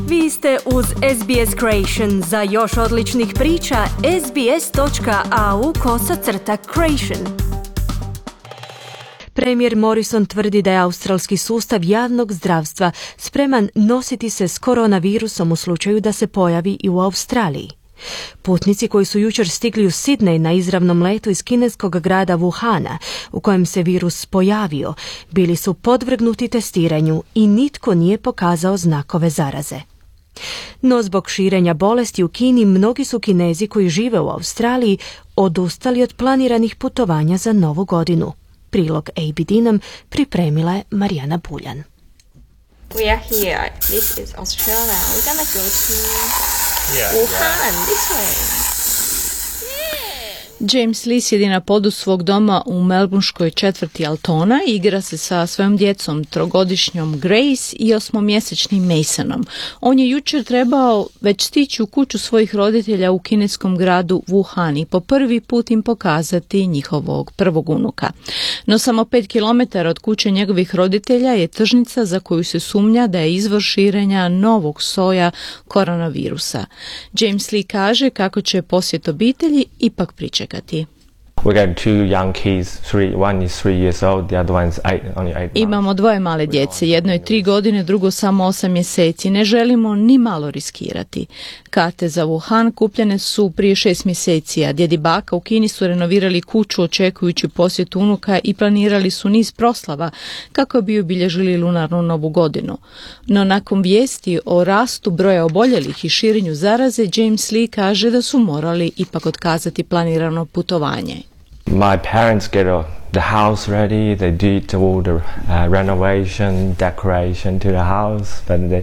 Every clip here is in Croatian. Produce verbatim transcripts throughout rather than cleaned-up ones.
Vi ste uz S B S Creation. Za još odličnih priča, sbs.au kosacrta creation. Premijer Morrison tvrdi da je australski sustav javnog zdravstva spreman nositi se s koronavirusom u slučaju da se pojavi i u Australiji. Putnici koji su jučer stigli u Sidney na izravnom letu iz kineskog grada Wuhana, u kojem se virus pojavio, bili su podvrgnuti testiranju i nitko nije pokazao znakove zaraze. No zbog širenja bolesti u Kini, mnogi su Kinezi koji žive u Australiji odustali od planiranih putovanja za Novu godinu. Prilog A B D nam pripremila je Marijana Buljan. We are here. This is Australia. We're gonna go to yeah, Wuhan, yeah. This way. James Lee sjedi na podu svog doma u melbourneškoj četvrti Altona i igra se sa svojom djecom, trogodišnjom Grace i osmomjesečnim Masonom. On je jučer trebao već stići u kuću svojih roditelja u kineskom gradu Wuhan i po prvi put im pokazati njihovog prvog unuka. No samo pet kilometara od kuće njegovih roditelja je tržnica za koju se sumnja da je izvor širenja novog soja koronavirusa. James Lee kaže kako će posjet obitelji ipak pričekati. We got two young kids, three, one is three years old, the other one is eight, only eight months. Imamo dvoje male djece, jedno je tri godine, drugo samo osam mjeseci. Ne želimo ni malo riskirati. Karte za Wuhan kupljene su prije šest mjeseci, a djed i baka u Kini su renovirali kuću očekujući posjet unuka i planirali su niz proslava kako bi obilježili lunarnu novu godinu. No nakon vijesti o rastu broja oboljelih i širenju zaraze, James Lee kaže da su morali ipak otkazati planirano putovanje. My parents get a, the house ready. They did all the uh, renovation, decoration to the house, but they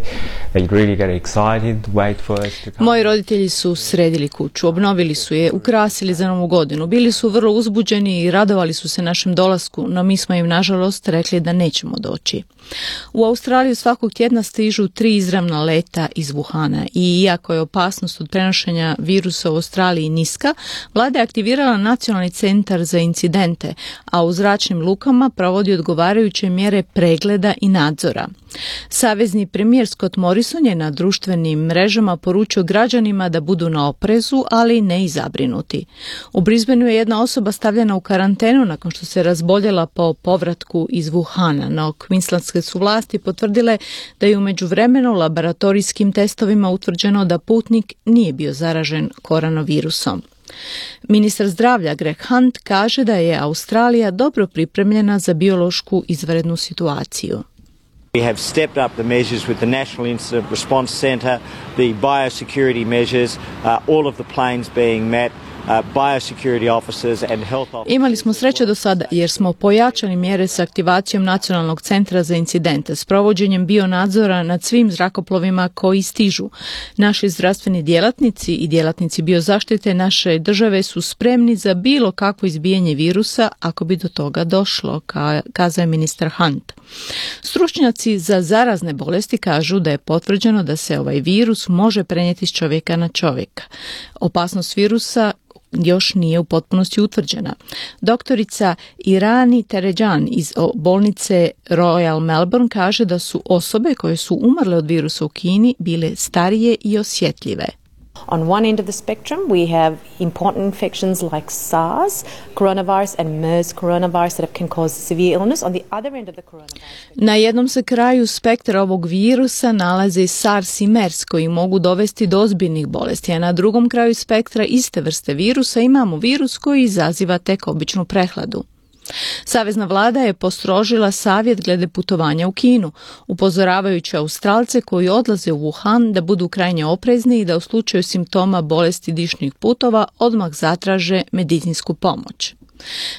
they really get excited, wait for us to come. Moji roditelji su sredili kuću, obnovili su je, ukrasili za Novu godinu. Bili su vrlo uzbuđeni i radovali su se našem dolasku, no mi smo im nažalost rekli da nećemo doći. U Australiju svakog tjedna stižu tri izravna leta iz Wuhana i iako je opasnost od prenošenja virusa u Australiji niska, vlada je aktivirala nacionalni centar za incidente, a u zračnim lukama provodi odgovarajuće mjere pregleda i nadzora. Savezni premijer Scott Morrison je na društvenim mrežama poručio građanima da budu na oprezu, ali ne i zabrinuti. U Brisbaneu je jedna osoba stavljena u karantenu nakon što se razboljela po povratku iz Wuhana, no Queenslandske su vlasti potvrdile da je u međuvremenu laboratorijskim testovima utvrđeno da putnik nije bio zaražen koronavirusom. Ministar zdravlja Greg Hunt kaže da je Australija dobro pripremljena za biološku izvanrednu situaciju. We have stepped up the measures with the National Incident Response Centre, the biosecurity measures, uh, all of the planes being met. Imali smo sreće do sada jer smo pojačali mjere s aktivacijom Nacionalnog centra za incidente, s provođenjem bionadzora nad svim zrakoplovima koji stižu. Naši zdravstveni djelatnici i djelatnici biozaštite naše države su spremni za bilo kakvo izbijanje virusa ako bi do toga došlo, kazao je ministar Hunt. Stručnjaci za zarazne bolesti kažu da je potvrđeno da se ovaj virus može prenijeti s čovjeka na čovjeka. Opasnost virusa još nije u potpunosti utvrđena. Doktorica Irani Terejan iz bolnice Royal Melbourne kaže da su osobe koje su umrle od virusa u Kini bile starije i osjetljive. On one end of the spectrum, we have important infections like SARS coronavirus and MERS coronavirus that can cause severe illness. On the other end of the coronavirus... Na jednom se kraju spektra ovog virusa nalaze SARS i MERS koji mogu dovesti do ozbiljnih bolesti, a na drugom kraju spektra iste vrste virusa imamo virus koji izaziva tek običnu prehladu. Savezna vlada je postrožila savjet glede putovanja u Kinu, upozoravajući Australce koji odlaze u Wuhan da budu krajnje oprezni i da u slučaju simptoma bolesti dišnih putova odmah zatraže medicinsku pomoć.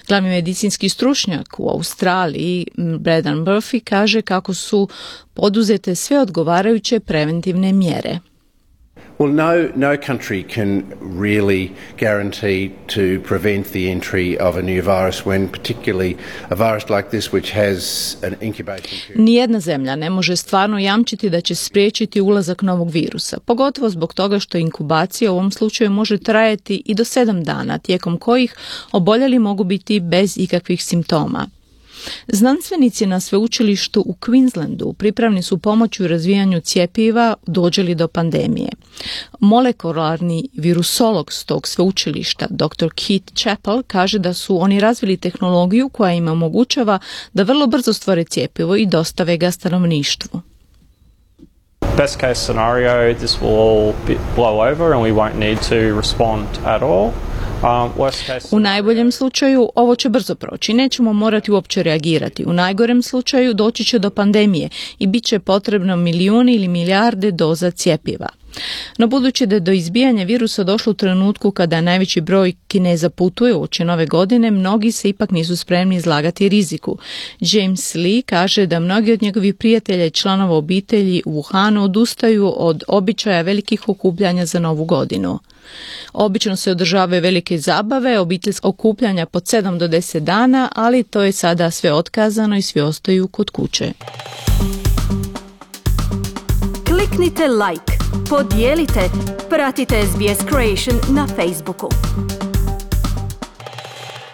Glavni medicinski stručnjak u Australiji, Braden Murphy, kaže kako su poduzete sve odgovarajuće preventivne mjere. Well, no, no country can really guarantee to prevent the entry of a new virus when particularly a virus like this which has an incubation period. Nijedna zemlja ne može stvarno jamčiti da će spriječiti ulazak novog virusa, pogotovo zbog toga što inkubacija u ovom slučaju može trajati i do sedam dana, tijekom kojih oboljeli mogu biti bez ikakvih simptoma. Znanstvenici na sveučilištu u Queenslandu pripravni su pomoći u razvijanju cjepiva dođe li do pandemije. Molekularni virusolog s tog sveučilišta, doktor Keith Chappell, kaže da su oni razvili tehnologiju koja im omogućava da vrlo brzo stvore cjepivo i dostave ga stanovništvu. Best case scenario, this will all blow over and we won't need to respond at all. U najboljem slučaju ovo će brzo proći, nećemo morati uopće reagirati. U najgorem slučaju doći će do pandemije i bit će potrebno milijuni ili milijarde doza cjepiva. No budući da je do izbijanja virusa došlo u trenutku kada najveći broj Kineza putuje uoči nove godine, mnogi se ipak nisu spremni izlagati riziku. James Lee kaže da mnogi od njegovih prijatelja i članova obitelji u Wuhanu odustaju od običaja velikih okupljanja za novu godinu. Obično se održavaju velike zabave, obiteljska okupljanja po sedam do deset dana, ali to je sada sve otkazano i svi ostaju kod kuće. Kliknite like, podijelite, pratite S B S Creation na Facebooku.